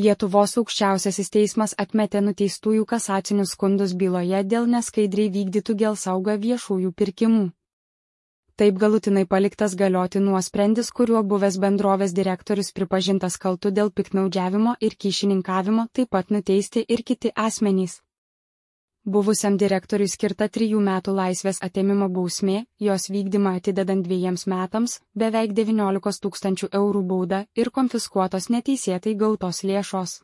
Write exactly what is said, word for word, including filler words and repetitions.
Lietuvos aukščiausiasis teismas atmetė nuteistųjų kasacinius skundus byloje dėl neskaidriai vykdytų Gelsauga viešųjų pirkimų. Taip galutinai paliktas galioti nuosprendis, kuriuo buvęs bendrovės direktorius pripažintas kaltu dėl piktnaudžiavimo ir kyšininkavimo, taip pat nuteisti ir kiti asmenys. Buvusiam direktoriui skirta trijų metų laisvės atėmimo bausmė, jos vykdymą atidedant dviejiems metams, beveik devyniolikos tūkstančių eurų bauda ir konfiskuotos neteisėtai gautos lėšos.